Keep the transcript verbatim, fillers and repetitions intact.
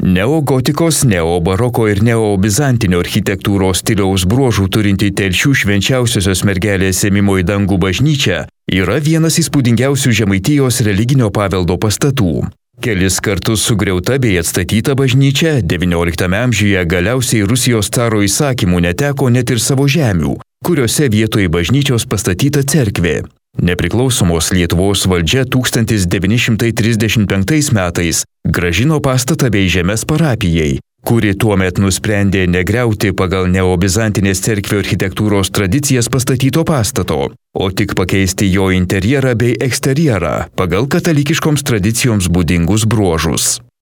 Neogotikos, neobaroko ir neobizantinio architektūros stiliaus bruožų turinti Telšių Švenčiausiosios Mergelės Ėmimo į dangų bažnyčia yra vienas įspūdingiausių Žemaitijos religinio paveldo pastatų. Kelis kartus sugriauta bei atstatyta bažnyčia devynioliktame amžiuje galiausiai Rusijos caro įsakymų neteko net ir savo žemių, kuriuose vietoje bažnyčios pastatyta cerkvė. Nepriklausomos Lietuvos valdžia tūkstantis devyni šimtai trisdešimt penktais metais grąžino pastatą bei žemes parapijai, kuri tuomet nusprendė negriauti pagal neobizantinės cerkvių architektūros tradicijas pastatyto pastato, o tik pakeisti jo interjerą bei eksterjerą pagal katalikiškoms tradicijoms būdingus bruožus.